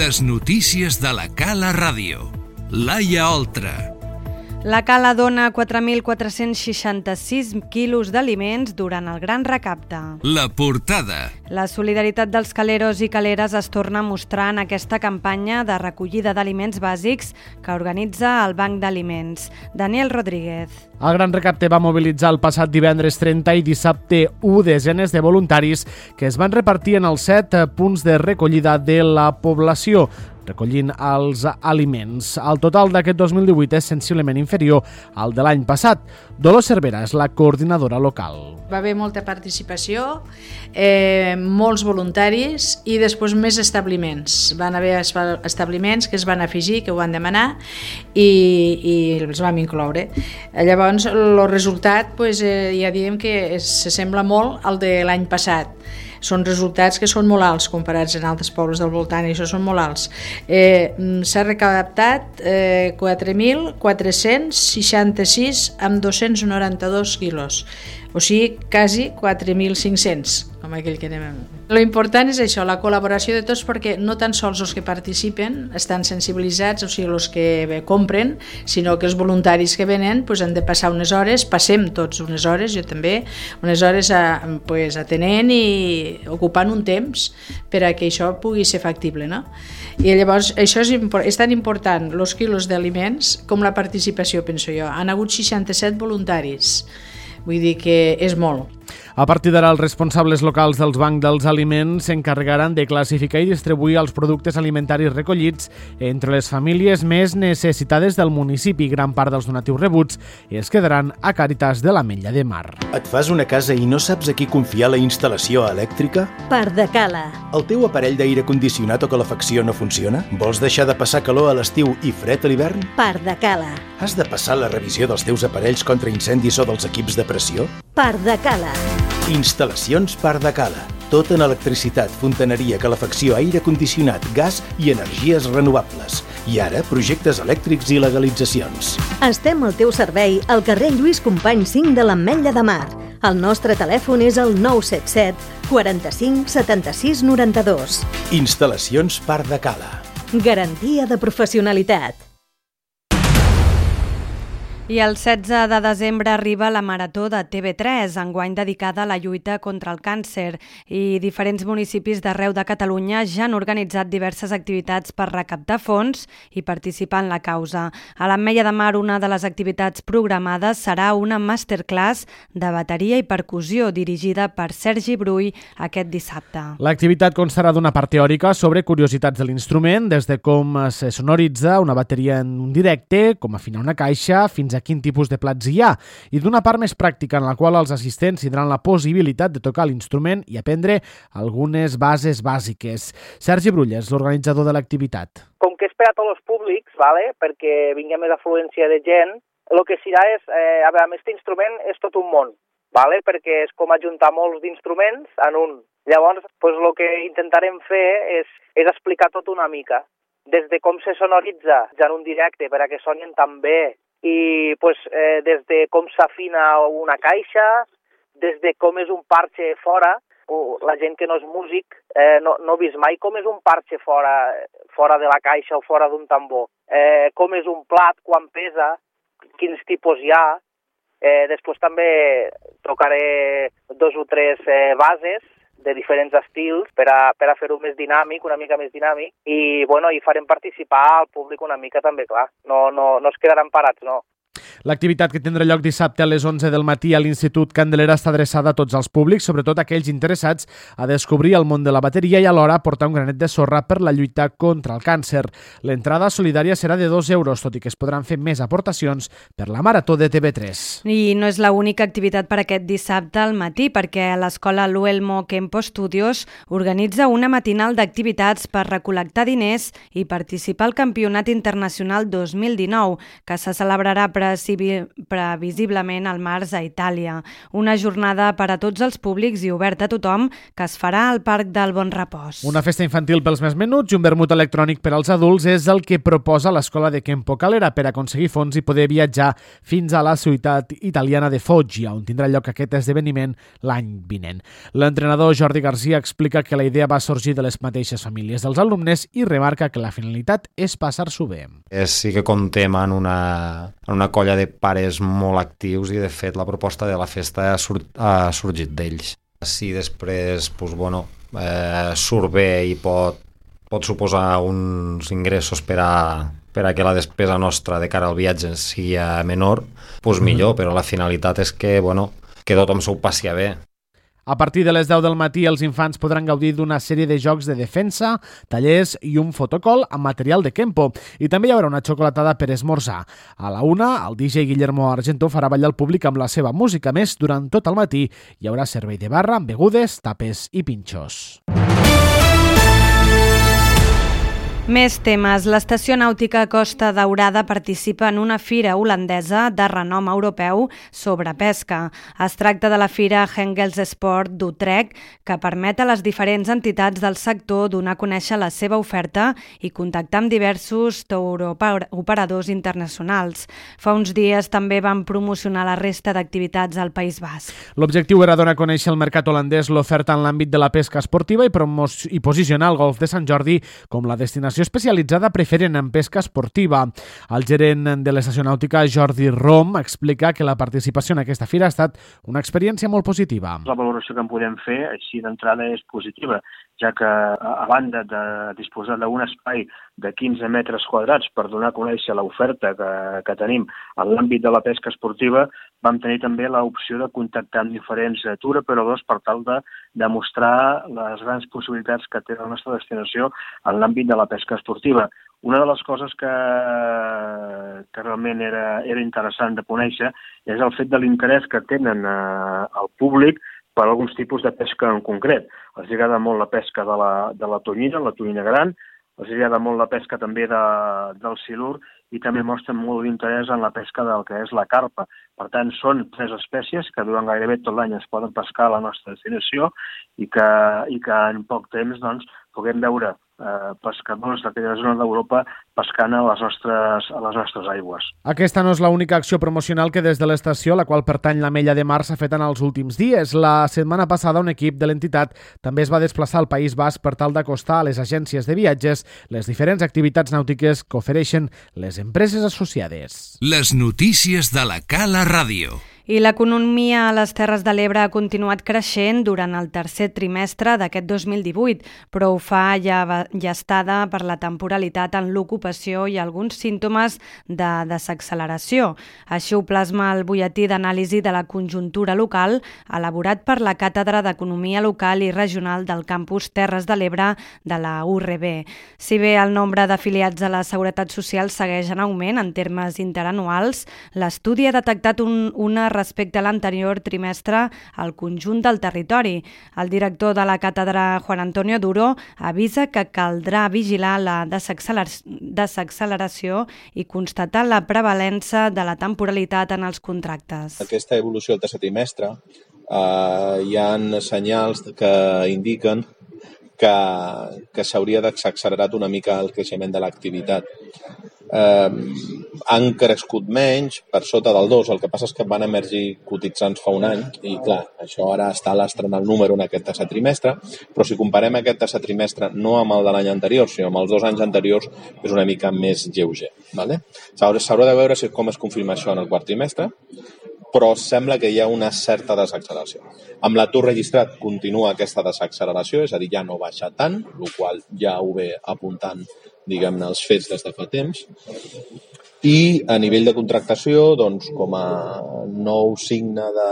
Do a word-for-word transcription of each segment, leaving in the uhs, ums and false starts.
Les notícies de la Cala Ràdio. Laia Oltra. La Cala dona quatre mil quatre-cents seixanta-sis quilos d'aliments durant el Gran Recapte. La portada. La solidaritat dels caleros i caleres es torna a mostrar en aquesta campanya de recollida d'aliments bàsics que organitza el Banc d'Aliments. Daniel Rodríguez. El Gran Recapte va mobilitzar el passat divendres trenta i dissabte u desenes de voluntaris que es van repartir en els set punts de recollida de la població, recollint els aliments. El total d'aquest dos mil divuit és sensiblement inferior al de l'any passat. Dolors Cervera és la coordinadora local. Va haver molta participació, eh, molts voluntaris i després més establiments. Van haver establiments que es van afegir, que ho van demanar i, i els vam incloure. Llavors, el resultat pues, eh, ja diem que s'assembla molt al de l'any passat. Són resultats que són molt alts comparats en altres pobles del voltant, i això són molt alts. Eh, s'ha recaptat eh, quatre mil quatre-cents seixanta-sis amb dos-cents noranta-dos quilos, o sigui, quasi quatre mil cinc-cents, com aquell que anem. Lo important és això, la col·laboració de tots, perquè no tan sols els que participen estan sensibilitzats, o sigui, els que compren, sinó que els voluntaris que venen pues, han de passar unes hores, passem tots unes hores, jo també, unes hores a, pues, atenent i ocupant un temps per a que això pugui ser factible, no? I llavors això és, és tan important, els quilos d'aliments, com la participació, penso jo. Han hagut seixanta-set voluntaris, vull dir que és molt. A partir d'ara, els responsables locals dels bancs dels aliments s'encarregaran de classificar i distribuir els productes alimentaris recollits entre les famílies més necessitades del municipi. Gran part dels donatius rebuts es quedaran a Càritas de l'Ametlla de Mar. Et fas una casa i no saps a qui confiar la instal·lació elèctrica? Pardacala. El teu aparell d'aire condicionat o calefacció no funciona? Vols deixar de passar calor a l'estiu i fred a l'hivern? Pardacala. Has de passar la revisió dels teus aparells contra incendis o dels equips de pressió? Pardacala. Instal·lacions Pardacala. Tot en electricitat, fontaneria, calefacció, aire condicionat, gas i energies renovables. I ara, projectes elèctrics i legalitzacions. Estem al teu servei al carrer Lluís Companys cinc de l'Ametlla de Mar. El nostre telèfon és el nou set set quaranta-cinc setanta-sis noranta-dos. Instal·lacions Pardacala. Garantia de professionalitat. I el setze de desembre arriba la Marató de T V tres, enguany dedicada a la lluita contra el càncer, i diferents municipis d'arreu de Catalunya ja han organitzat diverses activitats per recaptar fons i participar en la causa. A l'Ametlla de Mar, una de les activitats programades serà una masterclass de bateria i percussió dirigida per Sergi Brull aquest dissabte. L'activitat constarà d'una part teòrica sobre curiositats de l'instrument, des de com se sonoritza una bateria en un directe, com afinar una caixa, fins a quin tipus de plats hi ha, i d'una part més pràctica en la qual els assistents tindran la possibilitat de tocar l'instrument i aprendre algunes bases bàsiques. Sergi Brull és l'organitzador de l'activitat. Com que és per a tots els públics, vale? Perquè vingui més afluència de gent, el que serà és, eh, a veure, amb aquest instrument és tot un món, vale? Perquè és com ajuntar molts d'instruments en un. Llavors, pues, el que intentarem fer és, és explicar tot una mica, des de com se sonoritza ja en un directe per a que sonin tan bé, i pues, eh, des de com s'afina una caixa, des de com és un parxe fora, la gent que no és músic eh, no, no ha vist mai com és un parxe fora, fora de la caixa o fora d'un tambor, eh, com és un plat, quan pesa, quins tipus hi ha. Eh, després també tocaré dos o tres eh, bases de diferents estils per a, per a fer-ho més dinàmic, una mica més dinàmic, i, bueno, i farem participar al públic una mica també, clar. No, no, no es quedaran parats, no. L'activitat, que tindrà lloc dissabte a les onze del matí a l'Institut Candelera, està adreçada a tots els públics, sobretot aquells interessats a descobrir el món de la bateria i alhora portar un granet de sorra per la lluita contra el càncer. L'entrada solidària serà de dos euros, tot i que es podran fer més aportacions per la Marató de T V tres. I no és l'única activitat per aquest dissabte al matí, perquè l'escola Luelmo Kempo Studios organitza una matinal d'activitats per recol·lectar diners i participar al Campionat Internacional dos mil dinou, que se celebrarà precisament previsiblement al març a Itàlia. Una jornada per a tots els públics i oberta a tothom que es farà al Parc del Bon Repòs. Una festa infantil pels més menuts i un vermut electrònic per als adults és el que proposa l'Escola de Kempo Calera per aconseguir fons i poder viatjar fins a la ciutat italiana de Foggia, on tindrà lloc aquest esdeveniment l'any vinent. L'entrenador Jordi Garcia explica que la idea va sorgir de les mateixes famílies dels alumnes i remarca que la finalitat és passar-s'ho bé. Sí que comptem en una, en una colla de pares molt actius i de fet la proposta de la festa ha, sur, ha sorgit d'ells. Si després doncs, bueno, eh, surt bé i pot, pot suposar uns ingressos per a, per a que la despesa nostra de cara al viatge sigui menor, doncs millor, però la finalitat és que, bueno, que tothom s'ho passi bé. A partir de les deu del matí, els infants podran gaudir d'una sèrie de jocs de defensa, tallers i un fotocall amb material de Kempo. I també hi haurà una xocolatada per esmorzar. A la una, el D J Guillermo Argento farà ballar el públic amb la seva música. Més, durant tot el matí hi haurà servei de barra amb begudes, tapes i pinxos. Més temes. L'Estació Nàutica Costa Daurada participa en una fira holandesa de renom europeu sobre pesca. Es tracta de la fira Hengels Sport d'Utrecht, que permet a les diferents entitats del sector donar a conèixer la seva oferta i contactar amb diversos touroperadors internacionals. Fa uns dies també van promocionar la resta d'activitats al País Basc. L'objectiu era donar a conèixer al mercat holandès l'oferta en l'àmbit de la pesca esportiva i, i posicionar el golf de Sant Jordi com la destinació especialitzada preferent en pesca esportiva. El gerent de l'Estació Nàutica, Jordi Rom, explica que la participació en aquesta fira ha estat una experiència molt positiva. La valoració que en podem fer així d'entrada és positiva, ja que a banda de disposar d'un espai de quinze metres quadrats per donar a conèixer l'oferta que, que tenim en l'àmbit de la pesca esportiva, vam tenir també l'opció de contactar amb diferents touroperadors per tal de demostrar les grans possibilitats que té la nostra destinació en l'àmbit de la pesca esportiva. Una de les coses que, que realment era, era interessant de conèixer és el fet de l'interès que tenen eh, el públic per alguns tipus de pesca en concret. Els agrada molt la pesca de la, de la tonyina, la tonyina gran, els agrada molt la pesca també de, del silur i també mostren molt d'interès en la pesca del que és la carpa. Per tant, són tres espècies que durant gairebé tot l'any es poden pescar a la nostra destinació i que, i que en poc temps doncs, puguem veure eh, pescadors d'aquella zona d'Europa pescant a les, nostres, a les nostres aigües. Aquesta no és l'única acció promocional que des de l'estació, la qual pertany l'Ametlla de Mar, s'ha fet en els últims dies. La setmana passada un equip de l'entitat també es va desplaçar al País Basc per tal d'acostar a les agències de viatges les diferents activitats nàutiques que ofereixen les empreses associades. Les notícies de la Cala Ràdio. I l'economia a les Terres de l'Ebre ha continuat creixent durant el tercer trimestre d'aquest dos mil divuit, però ho fa llestada per la temporalitat en l'ocupació i alguns símptomes de desacceleració. Així ho plasma el butlletí d'anàlisi de la conjuntura local elaborat per la Càtedra d'Economia Local i Regional del Campus Terres de l'Ebre de la U R B. Si bé el nombre d'afiliats a la Seguretat Social segueix en augment en termes interanuals, l'estudi ha detectat un, una respecte a l'anterior trimestre al conjunt del territori. El director de la càtedra, Juan Antonio Duro, avisa que caldrà vigilar la desacceleració i constatar la prevalença de la temporalitat en els contractes. Aquesta evolució del tercer trimestre eh, hi ha senyals que indiquen que, que s'hauria d'accelerat una mica el creixement de l'activitat. Eh, han crescut menys, per sota del dos, el que passa és que van emergir cotitzants fa un any i clar, això ara està a l'astre en el número en aquest tercer trimestre, però si comparem aquest tercer trimestre no amb el de l'any anterior, sinó amb els dos anys anteriors, és una mica més lleuger. Vale? S'haurà de veure si com es confirma això en el quart trimestre, però sembla que hi ha una certa desacceleració. Amb l'atur registrat continua aquesta desacceleració, és a dir, ja no baixa tant, el qual ja ho ve apuntant, diguem-ne, els fets des de fa temps. I a nivell de contractació, doncs, com a nou signe de,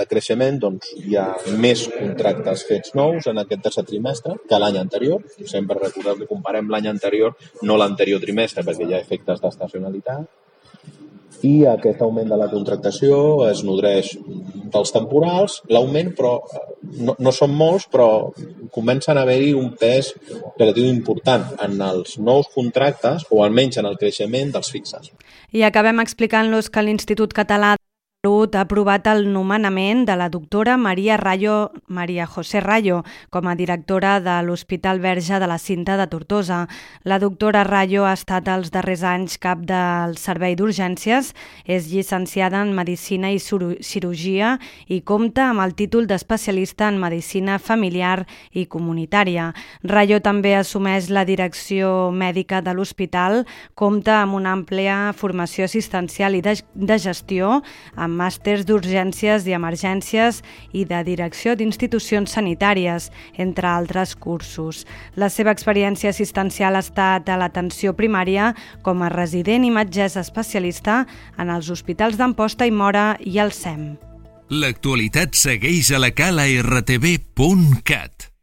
de creixement, doncs, hi ha més contractes fets nous en aquest tercer trimestre que l'any anterior. Sempre recordeu que comparem l'any anterior, no l'anterior trimestre, perquè hi ha efectes d'estacionalitat. I aquest augment de la contractació es nodreix dels temporals, l'augment, però no, no són molts, però comencen a haver-hi un pes relatiu important en els nous contractes o almenys en el creixement dels fixes. I acabem explicant-los que l'Institut Català Salut ha aprovat el nomenament de la doctora Maria Rayo, Maria José Rayo com a directora de l'Hospital Verge de la Cinta de Tortosa. La doctora Rayo ha estat els darrers anys cap del servei d'urgències, és llicenciada en Medicina i Cirurgia i compta amb el títol d'especialista en Medicina Familiar i Comunitària. Rayo també assumeix la direcció mèdica de l'hospital, compta amb una àmplia formació assistencial i de, de gestió, amb màsters d'urgències i emergències i de direcció d'institucions sanitàries, entre altres cursos. La seva experiència assistencial ha estat a l'atenció primària com a resident i metgessa especialista en els hospitals d'Amposta i Móra i el S E M. L'actualitat segueix a la cala r t v punt cat.